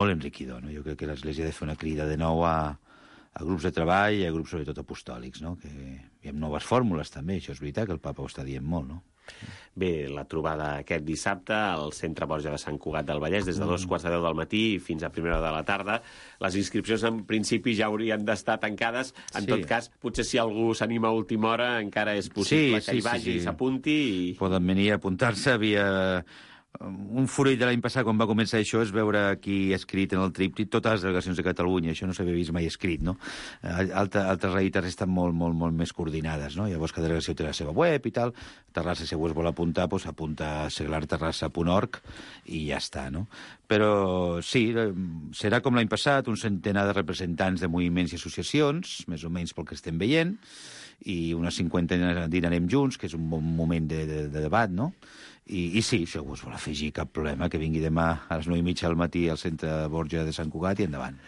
Molt enriquidor, no? Jo crec que l'Església ha de fer una crida de nou a grups de treball i a grups sobretot apostòlics, no? Que hi ha noves fórmules també, això és veritat que el papa ho està dient molt, no? Bé, la trobada aquest dissabte al Centre Borja de Sant Cugat del Vallès des de 2:45 del matí fins a 1:00 de la tarda. Les inscripcions en principi ja haurien d'estar tancades. En tot cas, potser si algú s'anima a última hora encara és possible que hi vagi i s'apunti. Poden venir a apuntar-se via... Un furoll de l'any passat, quan va començar això, és veure aquí escrit en el tríptic totes les delegacions de Catalunya. Això no s'havia vist mai escrit, no? Altres realitats estan molt més coordinades, no? Llavors, cada delegació té la seva web i tal. Terrassa, si algú es vol apuntar, doncs apunta a seglarterrassa.org i ja està, no? Però sí, serà com l'any passat, un centenar de representants de moviments i associacions, més o menys pel que estem veient, i una cinquantena dinarem junts, que és un bon moment de debat, no? I sí, si algú es vol afegir, cap problema, que vingui demà a les 9:30 del matí al Centre Borja de Sant Cugat i endavant.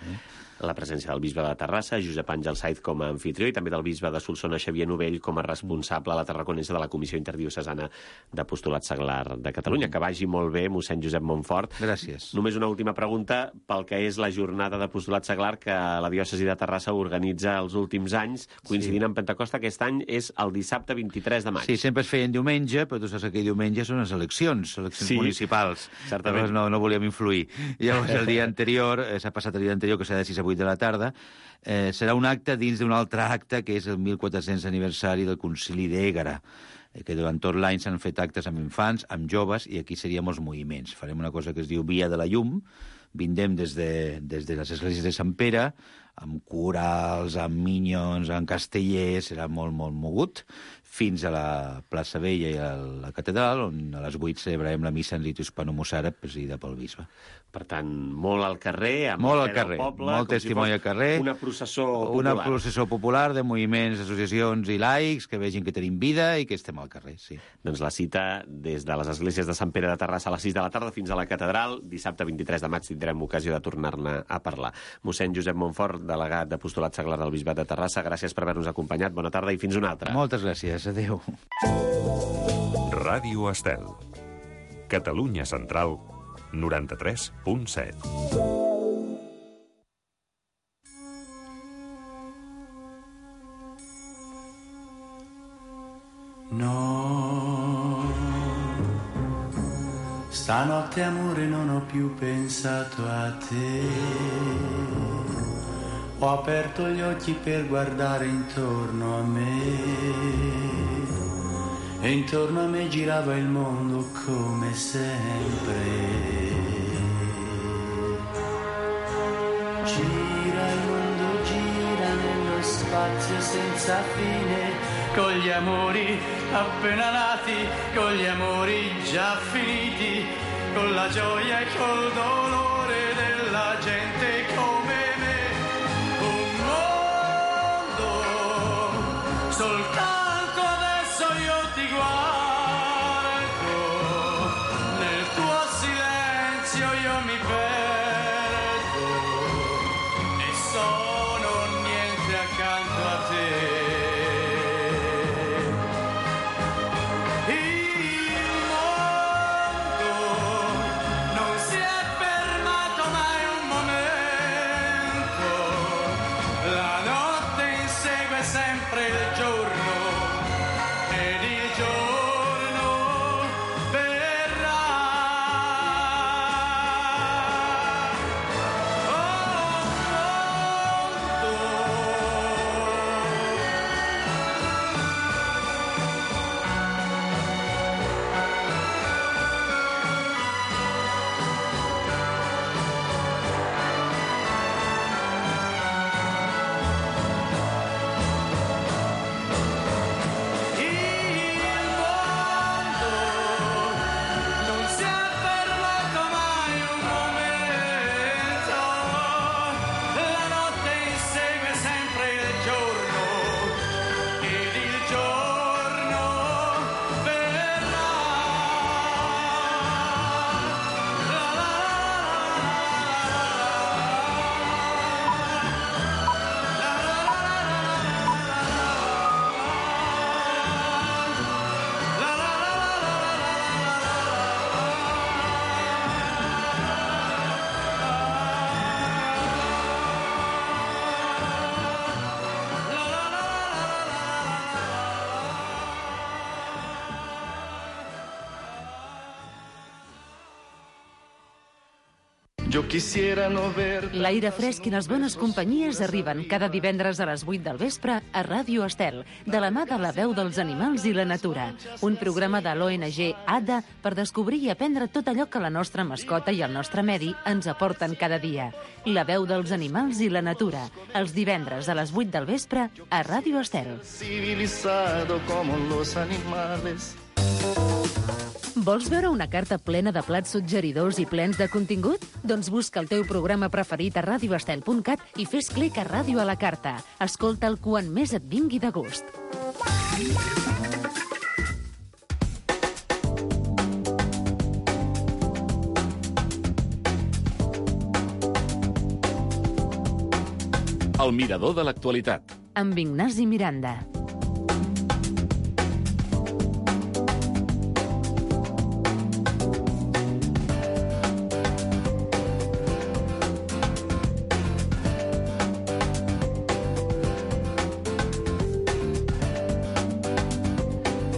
La presència del bisbe de Terrassa, Josep Àngel Saiz com a anfitrió, i també del bisbe de Solsona, Xavier Novell, com a responsable a la Tarraconense de la Comissió Interdiocesana d'Apostolat Seglar de Catalunya. Que vagi molt bé, mossèn Josep Montfort. Gràcies. Només una última pregunta pel que és la jornada d'Apostolat Seglar que la diòcesi de Terrassa organitza els últims anys, coincidint amb Pentecosta. Aquest any és el dissabte 23 de maig. Sí, sempre es feien diumenge, però tu saps que aquell diumenge són les eleccions municipals. Certament. Llavors no volíem influir. Llavors el dia anterior, s'ha passat el dia anterior, que serà de 6 a 8 de la tarda, serà un acte dins d'un altre acte, que és el 1400 aniversari del Concili d'Ègara, que durant tot l'any s'han fet actes amb infants, amb joves, i aquí seríem els moviments. Farem una cosa que es diu Via de la Llum, vindrem des de les esglésies de Sant Pere, amb corals, amb minyons, amb castellers, serà molt mogut, fins a la plaça Vella i a la catedral, on a les 8 celebrarem la missa en ritu hispano-mossàrab presidida pel bisbe. Per tant, molt al carrer, amb molt el al carrer, poble, molt testimoni al carrer, una processó popular. Una processó popular de moviments, associacions i laics que vegin que tenim vida i que estem al carrer, sí. Doncs la cita des de les esglésies de Sant Pere de Terrassa a les 6 de la tarda fins a la catedral. Dissabte 23 de maig tindrem ocasió de tornar-ne a parlar. Mossèn Josep Montfort, delegat d'Apostolat Seglar del Bisbat de Terrassa, gràcies per haver-nos acompanyat. Bona tarda i fins una altra. Moltes gràcies, adéu. Ràdio Estel. Catalunya Central, 93.7. No, stanotte amore non ho più pensato a te. Ho aperto gli occhi per guardare intorno a me e intorno a me girava il mondo come sempre. Gira il mondo, gira nello spazio senza fine, con gli amori appena nati, con gli amori già finiti, con la gioia e col dolore della gente come me. Un mondo, soltanto adesso io ti guardo, nel tuo silenzio io mi perdo e sono niente accanto a te. Il mondo non si è fermato Yo quisiera no ver... L'aire fresc i les bones companyies arriben cada divendres a les 8 del vespre a Ràdio Estel, de la mà de la veu dels animals i la natura. Un programa de l'ONG ADA per descobrir i aprendre tot allò que la nostra mascota i el nostre medi ens aporten cada dia. La veu dels animals i la natura, els divendres a les 8 del vespre a Ràdio Estel. Civilizado como los animales. Vols veure una carta plena de plats suggeridors i plens de contingut? Doncs busca el teu programa preferit a radioestel.cat i fes clic a Ràdio a la carta. Escolta'l quan més et vingui de gust. El mirador de l'actualitat. Amb Ignasi Miranda.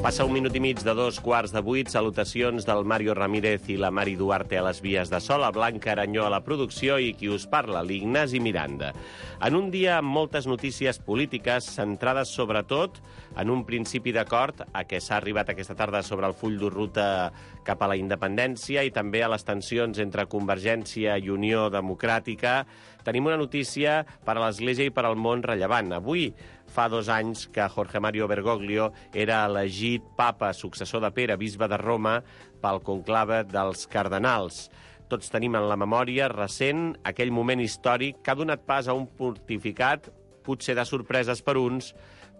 Passa un minut i mig de 2:15. Salutacions del Mario Ramírez i la Mari Duarte a les vies de so, la Blanca Aranyó a la producció i qui us parla, l'Ignasi Miranda. En un dia amb moltes notícies polítiques centrades sobretot en un principi d'acord a què s'ha arribat aquesta tarda sobre el full de ruta cap a la independència i també a les tensions entre Convergència i Unió Democràtica, tenim una notícia per a l'Església i per al món rellevant. Avui fa 2 anys que Jorge Mario Bergoglio era elegit papa successor de Pere, bisbe de Roma, pel conclave dels cardenals. Tots tenim en la memòria recent aquell moment històric que ha donat pas a un pontificat, potser de sorpreses per uns,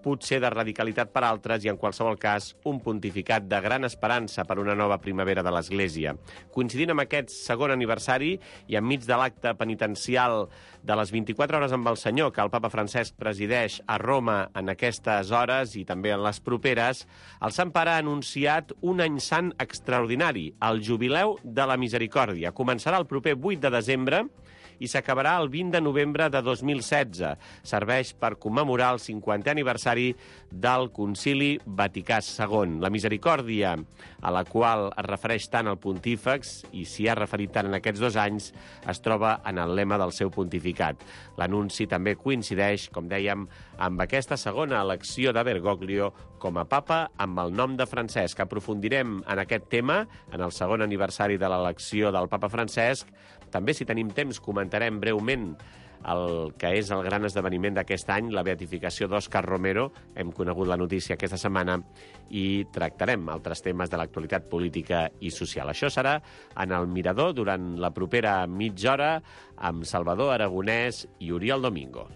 potser de radicalitat per altres i, en qualsevol cas, un pontificat de gran esperança per una nova primavera de l'Església. Coincidint amb aquest segon aniversari i enmig de l'acte penitencial de les 24 hores amb el Senyor que el papa Francesc presideix a Roma en aquestes hores i també en les properes, el Sant Pare ha anunciat un any sant extraordinari, el Jubileu de la Misericòrdia. Començarà el proper 8 de desembre i s'acabarà el 20 de novembre de 2016. Serveix per commemorar el 50è aniversari del Concili Vaticà II. La misericòrdia, a la qual es refereix tant el pontífex i s'hi ha referit tant en aquests 2 anys, es troba en el lema del seu pontificat. L'anunci també coincideix, com dèiem, amb aquesta segona elecció de Bergoglio com a papa amb el nom de Francesc. Aprofundirem en aquest tema en el segon aniversari de l'elecció del papa Francesc. També, si tenim temps, comentarem breument el que és el gran esdeveniment d'aquest any, la beatificació d'Òscar Romero. Hem conegut la notícia aquesta setmana i tractarem altres temes de l'actualitat política i social. Això serà en el Mirador durant la propera mitja hora amb Salvador Aragonès i Oriol Domingo.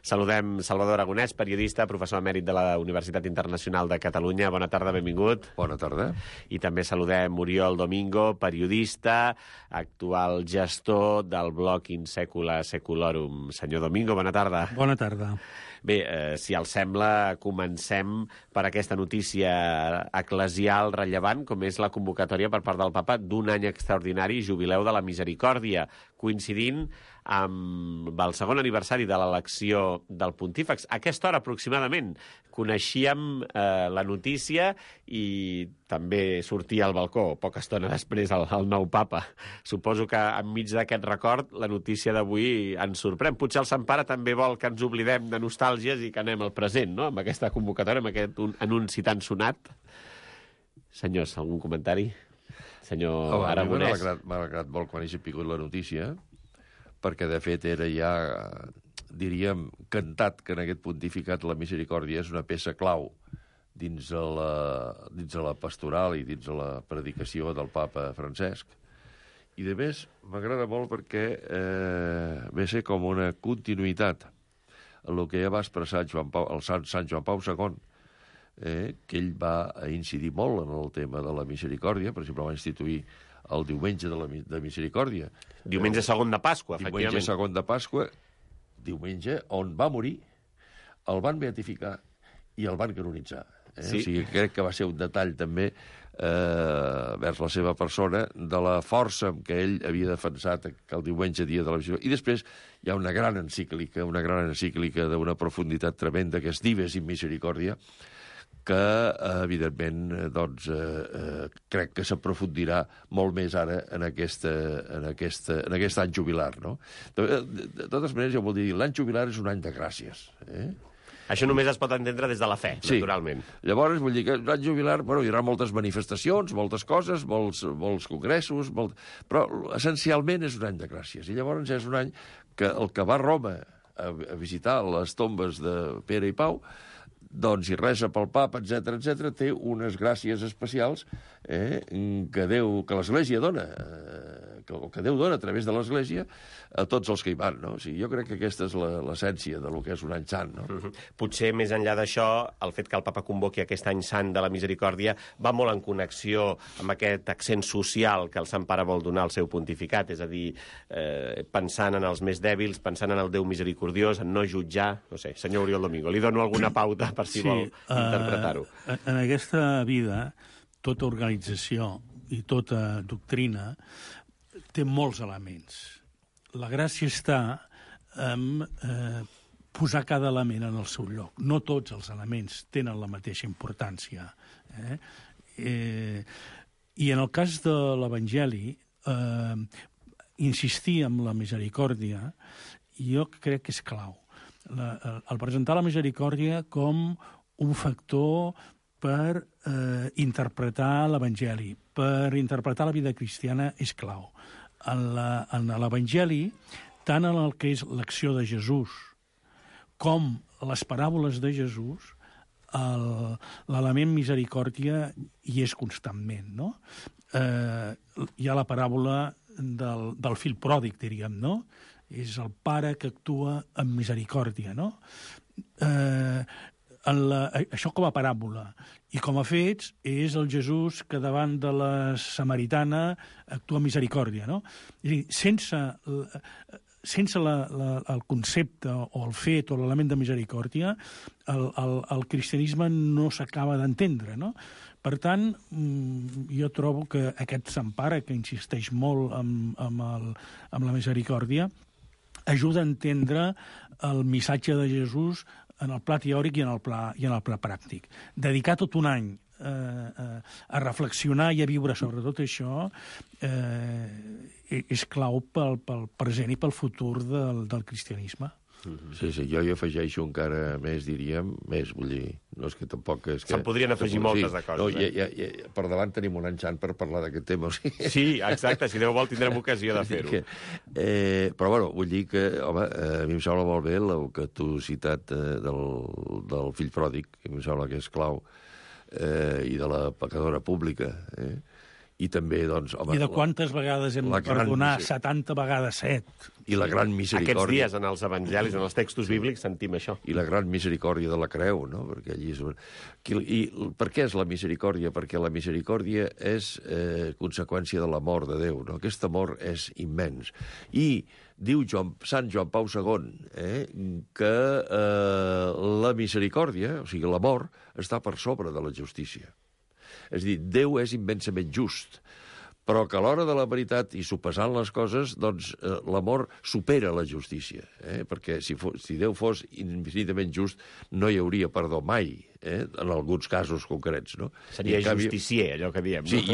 Saludem Salvador Aragonès, periodista, professor emèrit de la Universitat Internacional de Catalunya. Bona tarda, benvingut. Bona tarda. I també saludem Oriol Domingo, periodista, actual gestor del blog In Secula Seculorum. Senyor Domingo, bona tarda. Bona tarda. Bé, si els sembla, comencem per aquesta notícia eclesial rellevant, com és la convocatòria per part del papa d'un any extraordinari, Jubileu de la Misericòrdia, coincidint amb el segon aniversari de l'elecció del pontífex. A aquesta hora, aproximadament, coneixíem la notícia i també sortia al balcó, poca estona després, el nou papa. Suposo que enmig d'aquest record la notícia d'avui ens sorprèn. Potser el Sant Pare també vol que ens oblidem de nostàlgies i que anem al present, no?, amb aquesta convocatòria, amb aquest anunci tan sonat. Senyors, algun comentari? Senyor Aragonès. M'ha alegrat molt quan he sabut la notícia, perquè, de fet, era ja, diríem, cantat que en aquest pontificat la misericòrdia és una peça clau dins de la pastoral i dins de la predicació del papa Francesc. I, de més, m'agrada molt perquè ve a ser com una continuïtat en el que ja va expressar el Sant Joan Pau II, que ell va incidir molt en el tema de la misericòrdia. Per exemple, va instituir el diumenge de misericòrdia. Diumenge segon de Pasqua, efectivament. Diumenge segon de Pasqua, diumenge on va morir, el van beatificar i el van canonitzar. Sí. O sigui, crec que va ser un detall també vers la seva persona de la força amb què ell havia defensat que el diumenge dia de la misericòrdia. I després hi ha una gran encíclica d'una profunditat tremenda, que és Dives in Misericòrdia, que, evidentment, doncs, crec que s'aprofundirà molt més ara en aquest any jubilar, no? De totes maneres, jo vol dir, l'any jubilar és un any de gràcies, Això només es pot entendre des de la fe, naturalment. Llavors, vull dir que l'any jubilar, hi haurà moltes manifestacions, moltes coses, molts congressos, però essencialment és un any de gràcies. I llavors és un any que el que va a Roma a visitar les tombes de Pere i Pau, doncs, i resa pel papa, etc, té unes gràcies especials que l'Església dona, que Déu dona a través de l'Església a tots els que hi van, no? O sigui, jo crec que aquesta és l'essència del que és un any sant, no? Potser, més enllà d'això, el fet que el papa convoqui aquest any sant de la misericòrdia va molt en connexió amb aquest accent social que el Sant Pare vol donar al seu pontificat, és a dir, pensant en els més dèbils, pensant en el Déu misericordiós, en no jutjar, no sé, senyor Oriol Domingo, li dono alguna pauta per si vol interpretar-ho. En aquesta vida, tota organització i tota doctrina té molts elements. La gràcia està en posar cada element en el seu lloc. No tots els elements tenen la mateixa importància. I en el cas de l'Evangeli, insistir en la misericòrdia, jo crec que és clau. El presentar la misericòrdia com un factor per interpretar l'Evangeli, per interpretar la vida cristiana, és clau. En l'Evangeli, tant en el que és l'acció de Jesús com les paràboles de Jesús, l'element misericòrdia hi és constantment, no? Hi ha la paràbola del fill pròdig, diríem, no? És el pare que actua amb misericòrdia, no? Això com a paràbola. I com a fets és el Jesús que davant de la samaritana actua amb misericòrdia, no? És a dir, sense el concepte o el fet o l'element de misericòrdia, el cristianisme no s'acaba d'entendre, no? Per tant, jo trobo que aquest Sant Pare, que insisteix molt amb la misericòrdia, ajuda a entendre el missatge de Jesús en el pla teòric i en el pla pràctic. Dedicar tot un any a reflexionar i a viure sobre tot això és clau pel present i pel futur del cristianisme. Sí, jo hi afegeixo encara més, diríem, vull dir, no és que tampoc... Se'n podrien afegir moltes de coses. No, per davant tenim un any sant per parlar d'aquest tema. Sí, exacte, si Déu vol tindrem ocasió de fer-ho. Però, bueno, vull dir que, home, a mi em sembla molt bé el que tu has citat del fill pròdig, que em sembla que és clau, i de la pecadora pública, i també, doncs... Home, I de quantes vegades hem de perdonar? 70 vegades 7. I la gran misericòrdia... Aquests dies, en els evangelis, en els textos bíblics, sentim això. I la gran misericòrdia de la creu, no? Perquè allí és... I per què és la misericòrdia? Perquè la misericòrdia és conseqüència de l'amor de Déu, no? Aquest amor és immens. I diu Sant Joan Pau II que la misericòrdia, o sigui, l'amor, està per sobre de la justícia. És a dir, Déu és immensament just, però que a l'hora de la veritat, i sopesant les coses, doncs l'amor supera la justícia, perquè si Déu fos infinitament just, no hi hauria perdó mai, en alguns casos concrets, no? Seria justicier, allò que diem. Sí, hi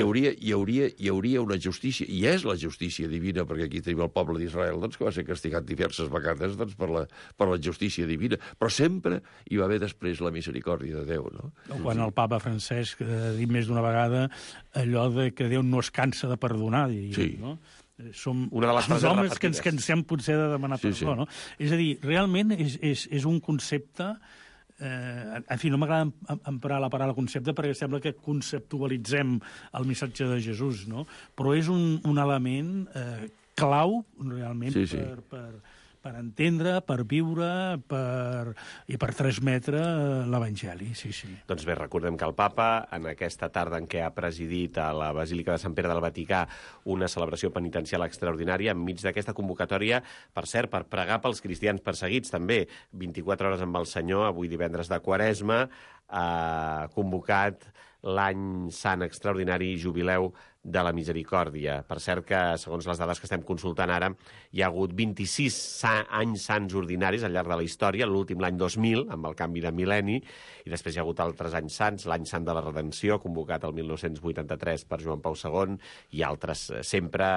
hauria una justícia, i és la justícia divina, perquè aquí tenim el poble d'Israel, doncs, que va ser castigat diverses vegades doncs, per la justícia divina, però sempre hi va haver després la misericòrdia de Déu, no? Quan el papa Francesc ha dit més d'una vegada allò de que Déu no es cansa de perdonar, sí. No? Som una de les els homes que ens cansem potser de demanar perdó, no? És a dir, realment és un concepte... En fi, no m'agrada emprar la paraula concepte perquè sembla que conceptualitzem el missatge de Jesús, no? Però és un element clau, realment, sí. per entendre, per viure i per transmetre l'Evangeli, sí. Doncs bé, recordem que el papa, en aquesta tarda en què ha presidit a la Basílica de Sant Pere del Vaticà una celebració penitencial extraordinària, enmig d'aquesta convocatòria, per cert, per pregar pels cristians perseguits, també, 24 hores amb el Senyor, avui divendres de Quaresma, ha convocat l'any sant extraordinari jubileu de la Misericòrdia. Per cert que, segons les dades que estem consultant ara, hi ha hagut 26 anys sants ordinaris al llarg de la història, l'últim l'any 2000, amb el canvi de mil·lenni, i després hi ha hagut altres anys sants, l'any sant de la Redenció, convocat el 1983 per Joan Pau II, i altres sempre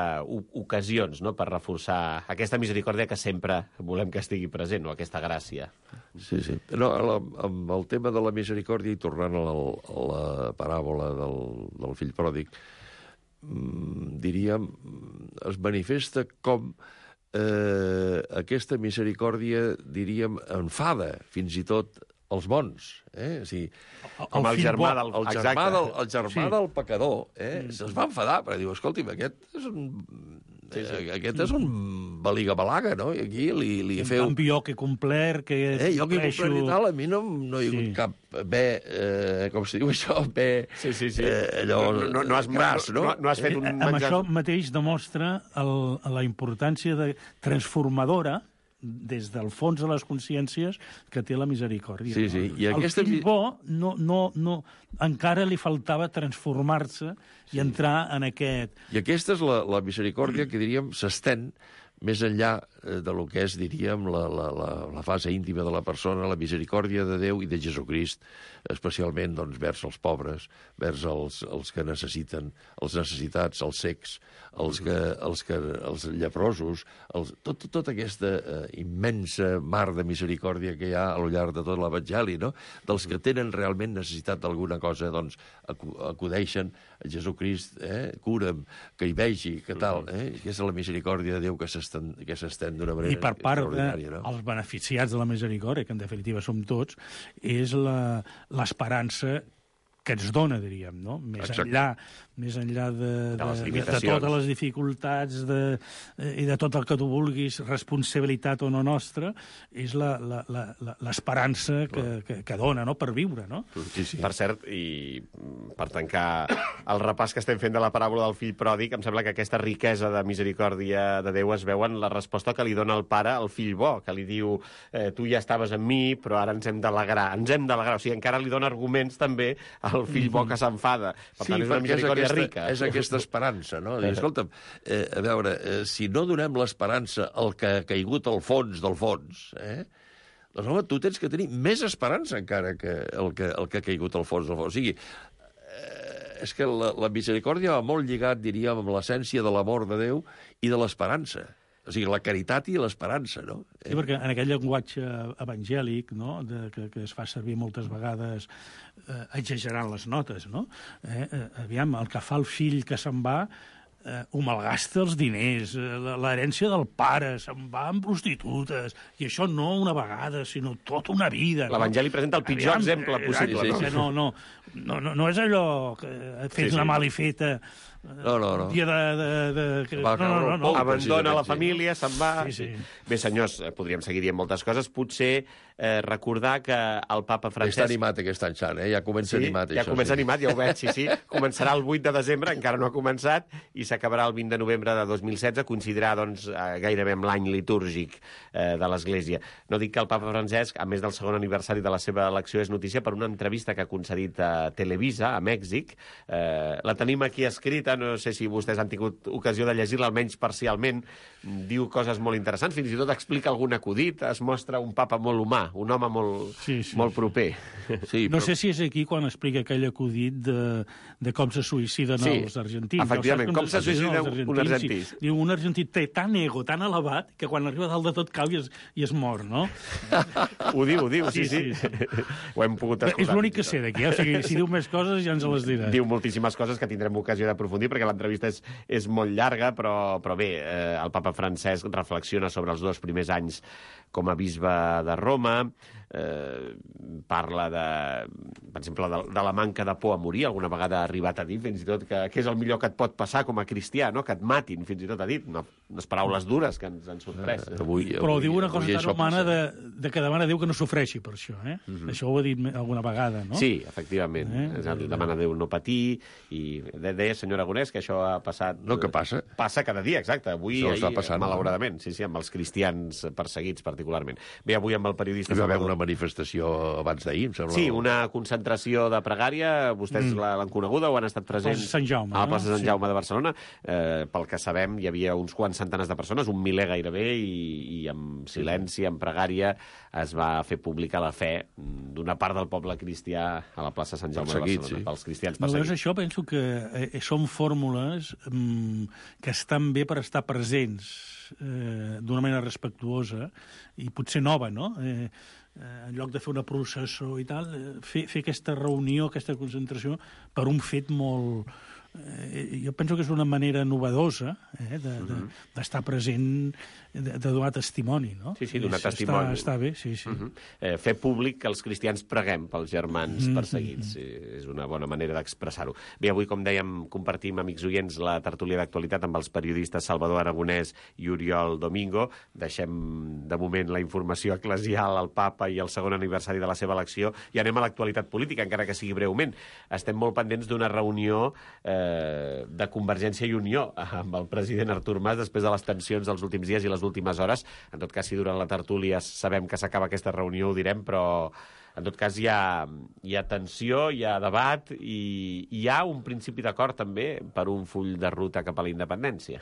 ocasions, no?, per reforçar aquesta misericòrdia que sempre volem que estigui present, no?, aquesta gràcia. Sí, sí. No, amb el tema de la misericòrdia, i tornant a la paràbola del fill pròdig, diríem, es manifesta com aquesta misericòrdia, diríem, enfada fins i tot els bons. O sigui, com el germà del pecador se'ls va enfadar, perquè diu, escolti'm, aquest és un baliga-balaga, no? I aquí li feu... En canvi, jo que he complert, que jo que he complert i tal, a mi no hi ha hagut cap bé, com se diu això, bé... Sí. Allò gras, no? No has fet un menjar... Amb això mateix demostra la importància transformadora des del fons de les consciències que té la misericòrdia. Sí, sí. I el fill bo encara li faltava transformar-se i entrar en aquest... I aquesta és la misericòrdia que, diríem, s'estén més enllà de lo que és, diríem, la fase íntima de la persona, la misericòrdia de Déu i de Jesucrist, especialment doncs, vers els pobres, vers els que necessiten, els necessitats, els cecs, els lleprosos, tota aquesta immensa mar de misericòrdia que hi ha a lo llarg de tot l'Evangeli, no? Dels que tenen realment necessitat d'alguna cosa, doncs acudeixen a Jesucrist, cura'm, que hi vegi, que tal. Aquesta és la misericòrdia de Déu que s'estén d'una manera extraordinària. I per part dels beneficiats de la misericòrdia, que en definitiva som tots, és l'esperança que ens dona, diríem, no? Més enllà de totes les dificultats i de tot el que tu vulguis, responsabilitat o no nostra, és l'esperança que dona, no?, per viure, no? Sí. Per cert, i per tancar el repàs que estem fent de la paràbola del fill pròdig, em sembla que aquesta riquesa de misericòrdia de Déu es veu en la resposta que li dona el pare al fill bo, que li diu, tu ja estaves amb mi, però ara ens hem d'alegrar. O sigui, encara li dona arguments també al fill bo que s'enfada. Per tant, és una misericòrdia rica. És aquesta esperança, no? Dir, escolta'm, a veure, si no donem l'esperança al que ha caigut al fons del fons, doncs, home, tu tens que tenir més esperança encara que el que ha caigut al fons del fons. O sigui, és que la misericòrdia va molt lligat, diríem, amb l'essència de l'amor de Déu i de l'esperança. O sigui, la caritat i l'esperança, no? Sí, perquè en aquest llenguatge evangèlic, no?, que es fa servir moltes vegades exagerant les notes, no? Aviam, el que fa el fill que se'n va ho malgasta els diners, l'herència del pare, se'n va amb prostitutes, i això no una vegada, sinó tota una vida. L'Evangeli presenta el pitjor exemple possible. No és allò que fes una malifeta... No. Dia no. Abandona la família, se'n va... Sí. Bé, senyors, podríem seguir dient moltes coses. Potser recordar que el papa Francesc... Està animat aquest any sant, ja comença animat. Ja comença animat, ja ho veig, sí. Començarà el 8 de desembre, encara no ha començat, i s'acabarà el 20 de novembre de 2016, coincidirà doncs, gairebé amb l'any litúrgic de l'Església. No dic que el papa Francesc, a més del segon aniversari de la seva elecció, és notícia per una entrevista que ha concedit a Televisa, a Mèxic. La tenim aquí escrita, no sé si vostès han tingut ocasió de llegir-la, almenys parcialment. Diu coses molt interessants, fins i tot explica algun acudit, es mostra un papa molt humà, un home molt proper. Sí, no sé si és aquí quan explica aquell acudit de com se suïciden els argentins. Efectivament, com se suïcida un argentí. Diu, un argentí té tant ego, tan elevat, que quan arriba dalt de tot cau i es mor, no? Ho diu, sí. Ho hem pogut escoltar. És l'únic que sé d'aquí, o sigui, si diu més coses ja ens les dirà. Diu moltíssimes coses que tindrem ocasió d'aprofundir, perquè l'entrevista és molt llarga, però bé, el papa Francesc reflexiona sobre els 2 primers anys com a bisbe de Roma, parla per exemple, de la manca de por a morir, alguna vegada ha arribat a dir, fins i tot, que és el millor que et pot passar com a cristià, no? Que et matin, fins i tot ha dit, unes paraules dures que ens han sorprès. Però diu una cosa tan humana de que demana a Déu que no sofreixi per això, Això ho ha dit alguna vegada, no? Sí, efectivament. Demana a Déu no patir, i deia, senyor Aragonès, que això ha passat... No, que passa. Passa cada dia, exacte. Avui, malauradament, sí, amb els cristians perseguits particularment. Bé, avui amb el periodista... Hi va haver una manifestació abans d'ahir, em sembla. Sí, una concentració de pregària, vostès l'han coneguda o han estat presents? Sant Jaume, a la plaça Sant Jaume de Barcelona. Pel que sabem, hi havia uns quants centenars de persones, 1 miler gairebé, i amb silenci, amb pregària, es va fer pública la fe d'una part del poble cristià a la plaça Sant Jaume de Barcelona, pels cristians perseguits. Això penso que són fórmules que estan bé per estar presents d'una manera respectuosa i potser nova, no? En lloc de fer una processó i tal, fer aquesta reunió, aquesta concentració, per un fet molt... jo penso que és una manera novedosa d'estar present, de donar testimoni, no? Sí, donar testimoni. Està bé, sí. Fer públic que els cristians preguem pels germans perseguits. És una bona manera d'expressar-ho. Bé, avui, com dèiem, compartim, amics oients, la tertúlia d'actualitat amb els periodistes Salvador Aragonès i Oriol Domingo. Deixem, de moment, la informació eclesial al papa i el segon aniversari de la seva elecció i anem a l'actualitat política, encara que sigui breument. Estem molt pendents d'una reunió de Convergència i Unió amb el president Artur Mas després de les tensions dels últims dies i les últimes hores. En tot cas, si durant la tertúlia sabem que s'acaba aquesta reunió, ho direm, però en tot cas hi ha tensió, hi ha debat i hi ha un principi d'acord també per un full de ruta cap a la independència.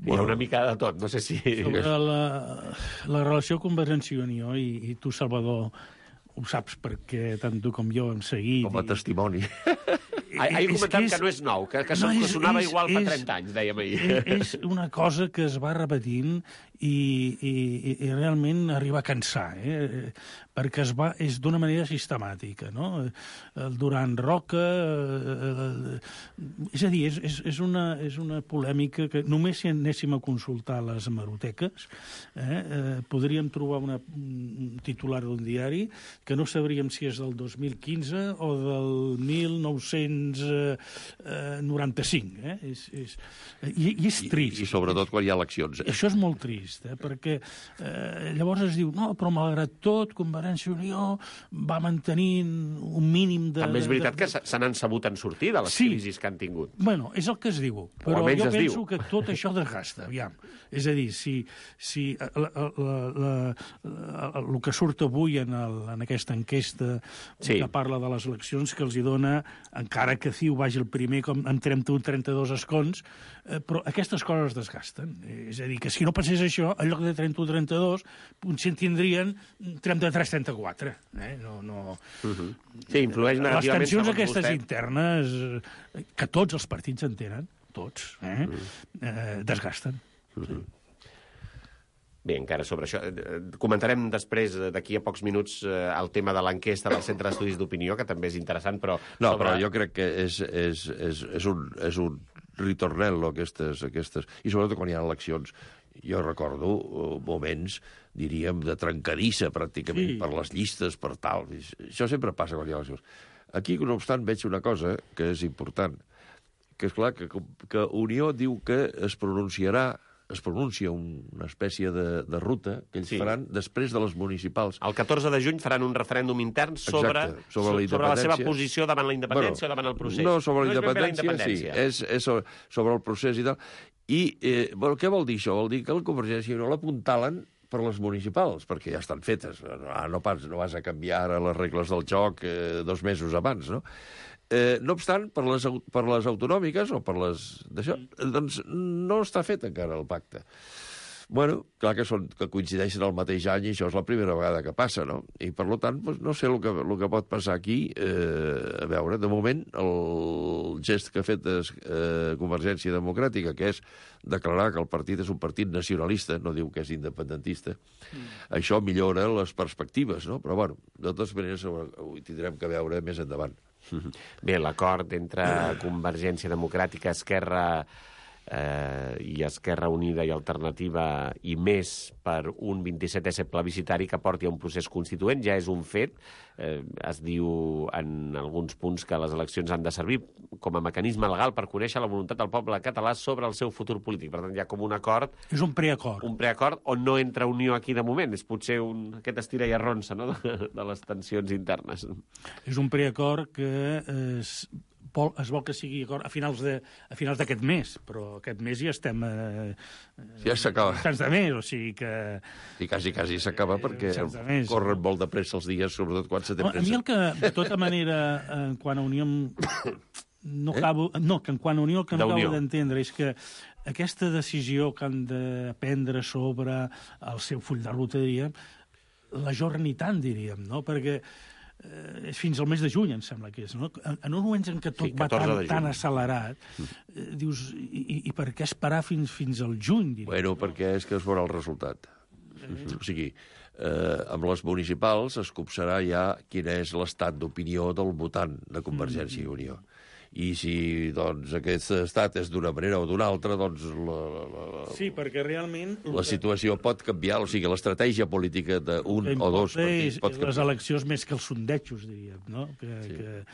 Hi ha una mica de tot, no sé si... Sobre la relació Convergència i Unió, i tu, Salvador, ho saps perquè tant tu com jo hem seguit... Com a testimoni. Ahir comentàvem que no és nou, que sonava igual fa 30 anys, dèiem ahir. És una cosa que es va repetint i realment arriba a cansar, perquè és d'una manera sistemàtica, no? El Duran Roca... És a dir, és una polèmica que només si anéssim a consultar les hemeroteques podríem trobar un titular d'un diari que no sabríem si és del 2015 o del 1995. I és trist. I sobretot quan hi ha eleccions. Això és molt trist, perquè llavors es diu, no, però malgrat tot, Convergència i Unió va mantenint un mínim de... També és veritat que se n'han sabut en sortir de les crisis que han tingut. Bueno, és el que es diu, però jo penso que tot això desgasta, aviam. És a dir, si el que surt avui en aquesta enquesta que parla de les eleccions, que els hi dona, encara que CiU vagi el primer amb 31-32 escons, però aquestes coses desgasten. És a dir, que si no passés això, en lloc de 31-32, potser en tindrien 33-34. Sí, influeix negativament. Les tensions aquestes internes, que tots els partits en tenen, tots, desgasten. Bé, encara sobre això. Comentarem després, d'aquí a pocs minuts, el tema de l'enquesta del Centre d'Estudis d'Opinió, que també és interessant, però... No, però jo crec que és un ritornello, aquestes... I sobretot quan hi ha eleccions. Jo recordo moments, diríem, de trencadissa, pràcticament, per les llistes, per tal. Això sempre passa quan hi ha eleccions. Aquí, no obstant, veig una cosa que és important, que és clar que Unió diu que es pronuncia una espècie de ruta que ells faran després de les municipals. El 14 de juny faran un referèndum intern sobre la seva posició davant la independència o davant el procés. No, sobre la independència, sí. És sobre el procés i tal. I què vol dir això? Vol dir que la Convergència i Unió l'apuntalen per les municipals, perquè ja estan fetes. No vas a canviar ara les regles del joc 2 mesos abans, no? No obstant, per les autonòmiques o per les d'això, doncs no està fet encara el pacte. Bueno, clar que coincideixen el mateix any i això és la primera vegada que passa, no? I, per tant, no sé el que pot passar aquí. A veure, de moment, el gest que ha fet Convergència Democràtica, que és declarar que el partit és un partit nacionalista, no diu que és independentista, això millora les perspectives, no? Però, bueno, de totes maneres, ho tindrem que veure més endavant. Bé, l'acord entre Convergència Democràtica, Esquerra i Esquerra Unida i Alternativa i més per un 27è plebiscitari que porti a un procés constituent ja és un fet. Es diu en alguns punts que les eleccions han de servir com a mecanisme legal per conèixer la voluntat del poble català sobre el seu futur polític. Per tant, hi ha com un acord... És un preacord. Un preacord on no entra Unió aquí de moment. És potser aquest estira i arronsa, no?, de les tensions internes. És un preacord que es vol que sigui a finals d'aquest mes, però aquest mes ja estem ja s'acaba. tants de mes, o sigui que... I quasi s'acaba perquè corren molt de pressa els dies, sobretot quan se té pressa. A mi el que, de tota manera, quan a Unió... No, que en quant a Unió el que no acabo d'entendre és que aquesta decisió que han de prendre sobre el seu full de ruta, diríem, l'ajorni tant, diríem, no? Perquè fins al mes de juny, em sembla que és, no? En uns moments en què tot va tan accelerat, dius, i per què esperar fins al juny, diríem? Bueno, perquè és que es veurà el resultat. O sigui, amb les municipals es copsarà ja quin és l'estat d'opinió del votant de Convergència i Unió. I si, doncs, aquest estat és d'una manera o d'una altra, doncs... Sí, perquè realment... La situació pot canviar, o sigui, l'estratègia política d'un o dos partits pot canviar. Les eleccions més que els sondejos, diríem, no?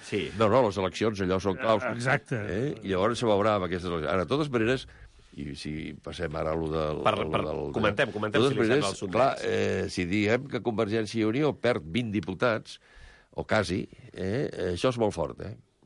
Sí. No, les eleccions, allò són claus. Exacte. I llavors se veurà amb aquestes eleccions. Ara, de totes maneres, i si passem ara a allò del... Comentem si li sembla el sondeig. Clar, si diem que Convergència i Unió perd 20 diputats, o quasi, això és molt fort,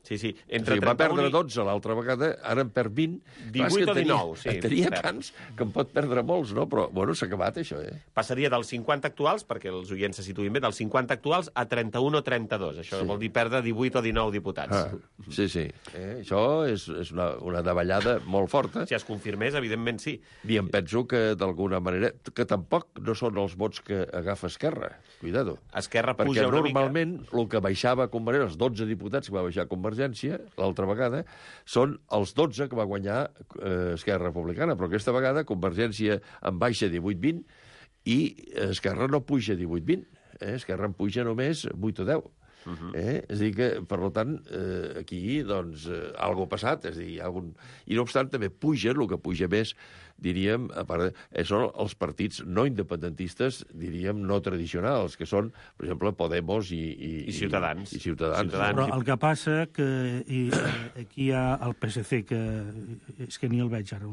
Sí. Va perdre 12 l'altra vegada, ara en perd 20. 18 o 19, sí. En tenia tants que en pot perdre molts, no? Però, bueno, s'ha acabat, això, Passaria dels 50 actuals, perquè els oients se situïn bé, dels 50 actuals a 31 o 32. Això vol dir perdre 18 o 19 diputats. Sí. Això és una davallada molt forta. Si es confirmés, evidentment sí. I em penso que, d'alguna manera, que tampoc no són els vots que agafa Esquerra. Cuidado. Esquerra puja una mica. Perquè normalment el que baixava a Convergència, els 12 diputats que va baixar a Convergència, l'altra vegada, són els 12 que va guanyar Esquerra Republicana, però aquesta vegada Convergència en baixa 18-20 i Esquerra no puja 18-20. Esquerra en puja només 8 o 10. És a dir que, per tant, aquí, doncs, alguna cosa ha passat. És a dir, I no obstant, també puja, el que puja més, diríem, a part, són els partits no independentistes, diríem, no tradicionals, que són, per exemple, Podemos i Ciutadans. Però el que passa que aquí hi ha el PSC, que és que ni el veig ara.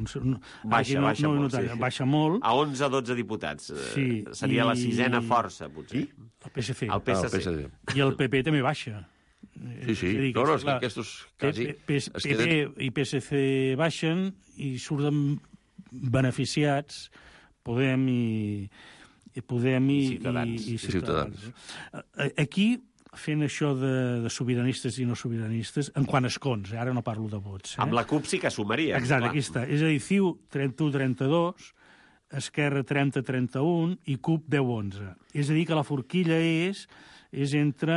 Baixa molt. A 11-12 diputats. Seria la sisena força, potser. El PSC. El PSC. I el PP també baixa. Sí. No, és que aquests quasi... PP i PSC baixen i surten beneficiats Podem i Ciutadans. Aquí, fent això de sobiranistes i no sobiranistes, en quant a escons, ara no parlo de vots. Amb la CUP sí que sumaria. Exacte, aquí està. És a dir, CiU 31-32, Esquerra 30-31 i CUP 10-11. És a dir, que la forquilla és entre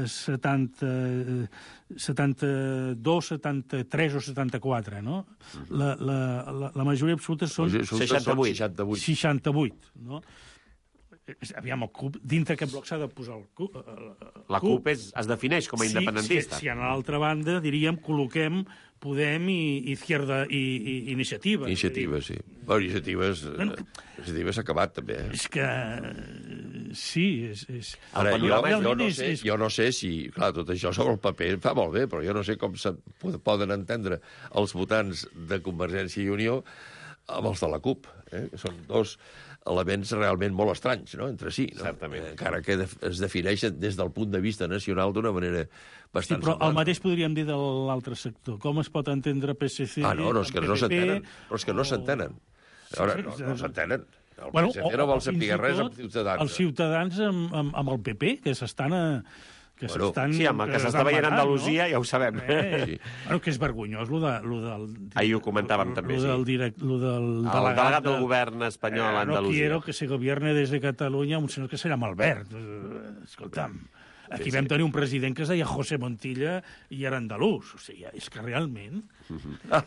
72, 73 o 74, no? La majoria absoluta són 68, no? Aviam, el CUP, dintre aquest bloc s'ha de posar el CUP. La CUP es defineix com a independentista. Si a l'altra banda, diríem, col·loquem Podem i Izquierda i Iniciativa. Iniciativa, sí. Bueno, Iniciativa s'ha acabat, també. És que... Sí, és... Ara, jo no sé si... Clar, tot això sobre el paper fa molt bé, però jo no sé com poden entendre els votants de Convergència i Unió amb els de la CUP. Són dos elements realment molt estranys, no?, entre si. No? Certament. Encara que es defineixen des del punt de vista nacional d'una manera bastant però el mateix podríem dir de l'altre sector. Com es pot entendre PSC... No, és que no s'entenen. Però és que no s'entenen. No s'entenen. El PSC no vol saber res amb Ciutadans. Els Ciutadans amb el PP, que s'estan... Sí, amb el que s'està veient a Andalusia, ja ho sabem. Bueno, que és vergonyós, ahir ho comentàvem també, sí. El delegat del govern espanyol a Andalusia. No quiero que se gobierne desde Catalunya un senyor que se llama Albert. Escolta'm, aquí vam tenir un president que es deia José Montilla i era andalús. O sigui, és que realment... No,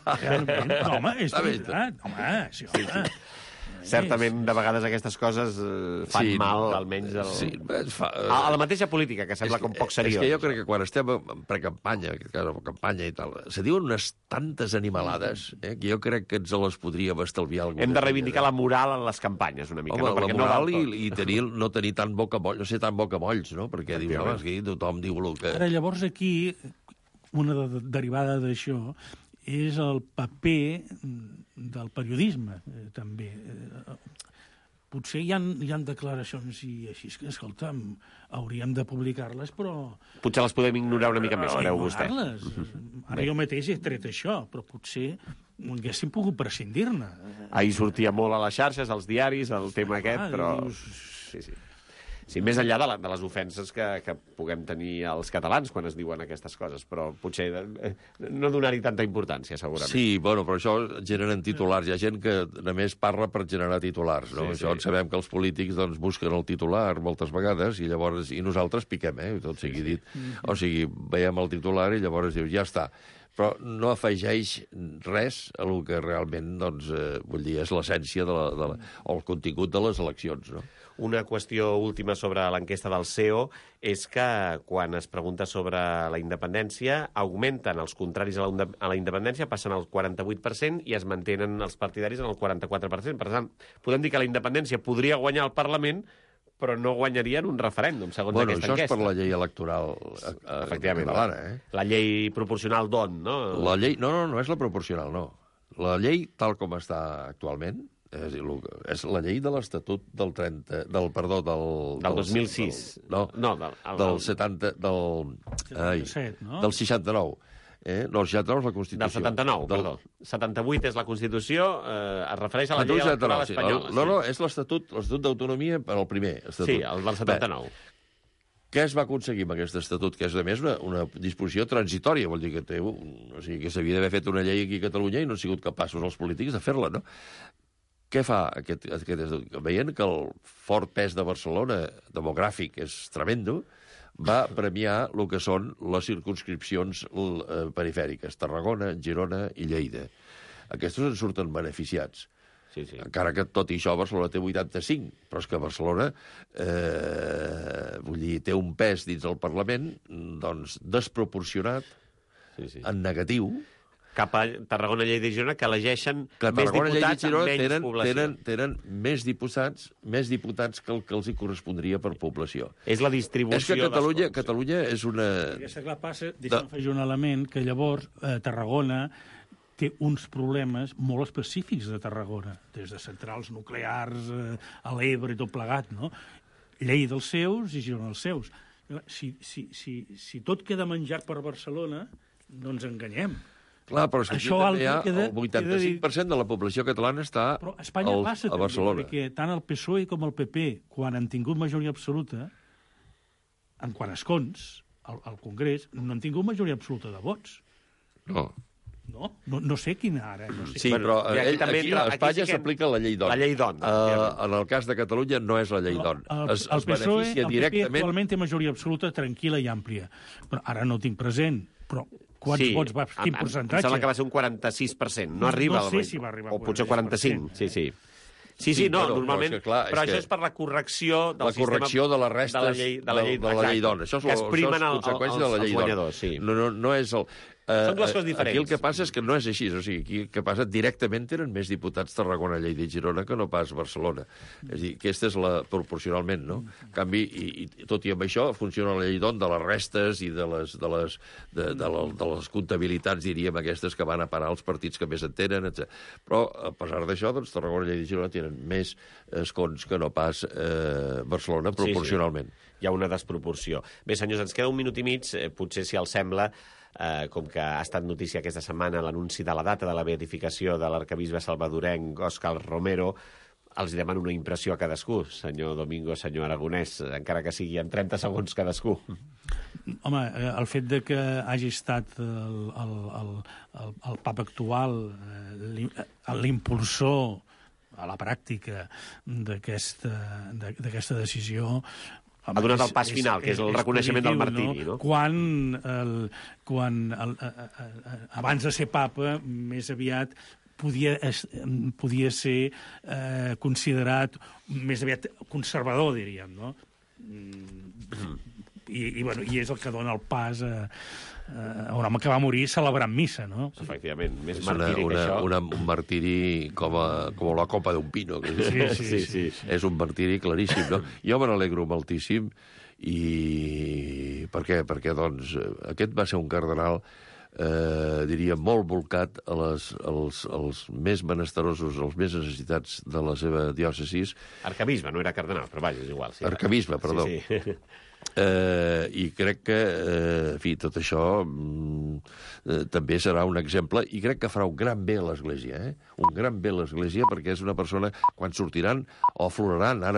home, és veritat. Home, sí, home... Certament, de vegades aquestes coses fan mal, almenys a la mateixa política, que sembla com poc seriós. És que jo crec que quan estem en precampanya, campanya i tal, se diuen unes tantes animalades que jo crec que ens les podríem estalviar. Hem de reivindicar la moral en les campanyes, una mica. Home, la moral i no tenir tant bocamolls, no ser tan bocamolls, no? Perquè dius, home, és que tothom diu el que... Ara, llavors, aquí, una derivada d'això és el paper del periodisme, també. potser hi ha declaracions i així que, escolta'm, hauríem de publicar-les, però... Potser les podem ignorar una mica més, creu vostè. Ara jo mateix he tret això, però potser haguéssim pogut prescindir-ne. Ahir sortia molt a les xarxes, als diaris, el tema aquest, però... Sí. Sí, més enllà de les ofenses que puguem tenir els catalans quan es diuen aquestes coses, però potser no donar-hi tanta importància, segurament. Sí, bueno, però això generen titulars. Hi ha gent que només parla per generar titulars, no? Sí. Sabem que els polítics doncs, busquen el titular moltes vegades i llavors nosaltres piquem, tot sigui dit. O sigui, veiem el titular i llavors dius, ja està. Però no afegeix res a el que realment, doncs, vull dir, és l'essència o el contingut de les eleccions, no? Una qüestió última sobre l'enquesta del CEO és que quan es pregunta sobre la independència augmenten els contraris a la independència, passen al 48% i es mantenen els partidaris en el 44%. Per tant, podem dir que la independència podria guanyar el Parlament, però no guanyaria en un referèndum, segons aquesta enquesta. Això és per la llei electoral catalana, La llei proporcional d'on, no? La llei... No és la proporcional, no. La llei, tal com està actualment, és la llei de l'Estatut del 2006. Del 70... Del 69. No, el 69 és la Constitució. Del 79, perdó. 78 és la Constitució, es refereix a la llei electoral espanyola. No, és l'Estatut d'autonomia per al primer. Sí, el del 79. Què es va aconseguir amb aquest estatut? Que és, a més, una disposició transitòria. Vol dir que s'havia d'haver fet una llei aquí a Catalunya i no han sigut capaços els polítics de fer-la, no? Què fa aquest estatut? Veient que el fort pes de Barcelona demogràfic és tremendo, va premiar el que són les circumscripcions perifèriques, Tarragona, Girona i Lleida. Aquests en surten beneficiats. Sí. Encara que tot i això Barcelona té 85, però és que Barcelona té un pes dins del Parlament doncs desproporcionat, en negatiu, cap a Tarragona, Lleida i Girona, que elegeixen més diputats amb menys població. Tenen més diputats que el que els hi correspondria per població. És la distribució... És que Catalunya és una... Aquesta clar passa, deixa'm afegir un element, que llavors Tarragona té uns problemes molt específics de Tarragona, des de centrals nuclears a l'Ebre i tot plegat, no? Lleida els seus i Girona els seus. Si tot queda menjat per Barcelona, no ens enganyem. Clar, però és que aquí també hi ha el 85% de la població catalana està a Barcelona. Espanya passa també, perquè tant el PSOE com el PP, quan han tingut majoria absoluta, en quant a escons, al Congrés, no han tingut majoria absoluta de vots. No sé quina ara. Sí, però aquí a Espanya s'aplica la llei d'on. La llei d'on. En el cas de Catalunya no és la llei d'on. El PSOE, el PP actualment té majoria absoluta, tranquil·la i àmplia. Però ara no ho tinc present, però... Quants vots va? Quin percentatge? Em sembla que va ser un 46%. No arriba... No sé si va arribar o potser 45%. Sí, normalment... Però això és per la correcció del sistema... La correcció de les restes de la llei d'on. Això és conseqüència de la llei d'on. No és el... Són dues coses diferents. Aquí el que passa és que no és així. O sigui, aquí el que passa directament tenen més diputats Tarragona, Lleida i Girona que no pas Barcelona. És a dir, aquesta és la proporcionalment, no? En canvi, i tot i amb això, funciona la llei d'on de les restes i de les comptabilitats, diríem, aquestes que van a parar els partits que més en tenen, etc. Però, a pesar d'això, doncs, Tarragona, Lleida i Girona tenen més escons que no pas Barcelona, proporcionalment. Hi ha una desproporció. Bé, senyors, ens queda un minut i mig, potser si els sembla, com que ha estat notícia aquesta setmana l'anunci de la data de la beatificació de l'arquebisbe salvadorenc Òscar Romero, els demano una impressió a cadascú, senyor Domingo, senyor Aragonès, encara que sigui en 30 segons cadascú. Home, el fet de que hagi estat el papa actual l'impulsor a la pràctica d'aquesta decisió... Ha donat el pas final, que és el reconeixement del martiri, no? Quan abans de ser papa, més aviat podia ser considerat més aviat conservador, diríem, no? I és el que dona el pas a un home que va morir celebrant missa, no? Efectivament, més martiri que això. Un martiri com la copa d'un pino. Sí. És un martiri claríssim, no? Jo me n'alegro moltíssim. I per què? Perquè, doncs, aquest va ser un cardenal diria, molt volcat als més menesterosos, als més necessitats de la seva diòcesis. Arcabisbe, no era cardenal, però vaja, és igual. Sí, Arcabisbe, perdó. Sí. I crec que, en fi, tot això també serà un exemple, i crec que farà un gran bé a l'Església, un gran bé a l'Església, perquè és una persona, quan sortiran o afloraran, ara